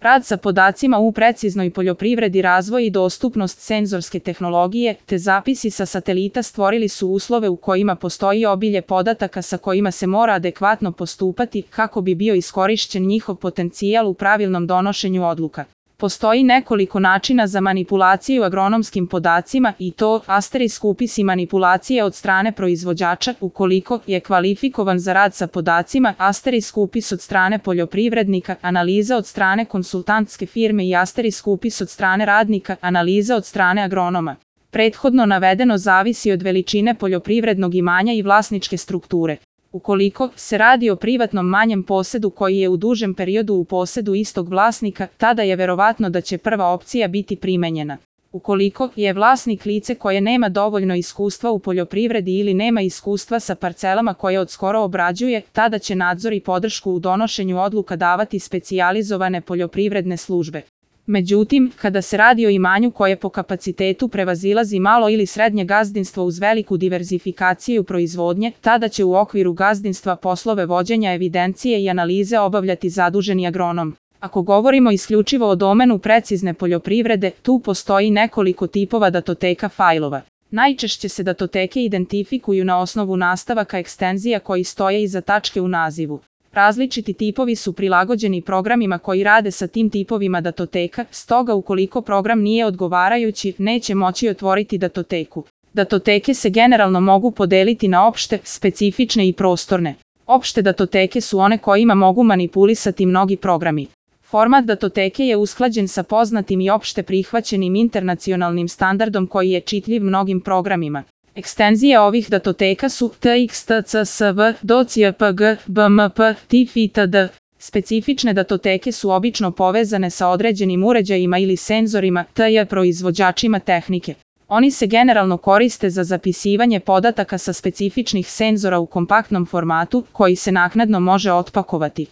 Rad sa podacima u preciznoj poljoprivredi, razvoj i dostupnost senzorske tehnologije, te zapisi sa satelita stvorili su uslove u kojima postoji obilje podataka sa kojima se mora adekvatno postupati kako bi bio iskorišćen njihov potencijal u pravilnom donošenju odluka. Postoji nekoliko načina za manipulaciju agronomskim podacima i to asterisk upis i manipulacije od strane proizvođača ukoliko je kvalifikovan za rad sa podacima, asterisk upis od strane poljoprivrednika, analiza od strane konsultantske firme i asterisk upis od strane radnika, analiza od strane agronoma. Prethodno navedeno zavisi od veličine poljoprivrednog imanja i vlasničke strukture. Ukoliko se radi o privatnom manjem posedu koji je u dužem periodu u posedu istog vlasnika, tada je verovatno da će prva opcija biti primenjena. Ukoliko je vlasnik lice koje nema dovoljno iskustva u poljoprivredi ili nema iskustva sa parcelama koje odskoro obrađuje, tada će nadzor i podršku u donošenju odluka davati specijalizovane poljoprivredne službe. Međutim, kada se radi o imanju koje po kapacitetu prevazilazi malo ili srednje gazdinstvo uz veliku diverzifikaciju proizvodnje, tada će u okviru gazdinstva poslove vođenja evidencije i analize obavljati zaduženi agronom. Ako govorimo isključivo o domenu precizne poljoprivrede, tu postoji nekoliko tipova datoteka fajlova. Najčešće se datoteke identifikuju na osnovu nastavaka ekstenzija koji stoje iza tačke u nazivu. Različiti tipovi su prilagođeni programima koji rade sa tim tipovima datoteka, stoga ukoliko program nije odgovarajući, neće moći otvoriti datoteku. Datoteke se generalno mogu podeliti na opšte, specifične i prostorne. Opšte datoteke su one kojima mogu manipulisati mnogi programi. Format datoteke je usklađen sa poznatim i opšte prihvaćenim internacionalnim standardom koji je čitljiv mnogim programima. Ekstenzije ovih datoteka su TX, TCSV, DOC, JPG, BMP, TIFF itd. Specifične datoteke su obično povezane sa određenim uređajima ili senzorima, tj. proizvođačima tehnike. Oni se generalno koriste za zapisivanje podataka sa specifičnih senzora u kompaktnom formatu, koji se naknadno može otpakovati.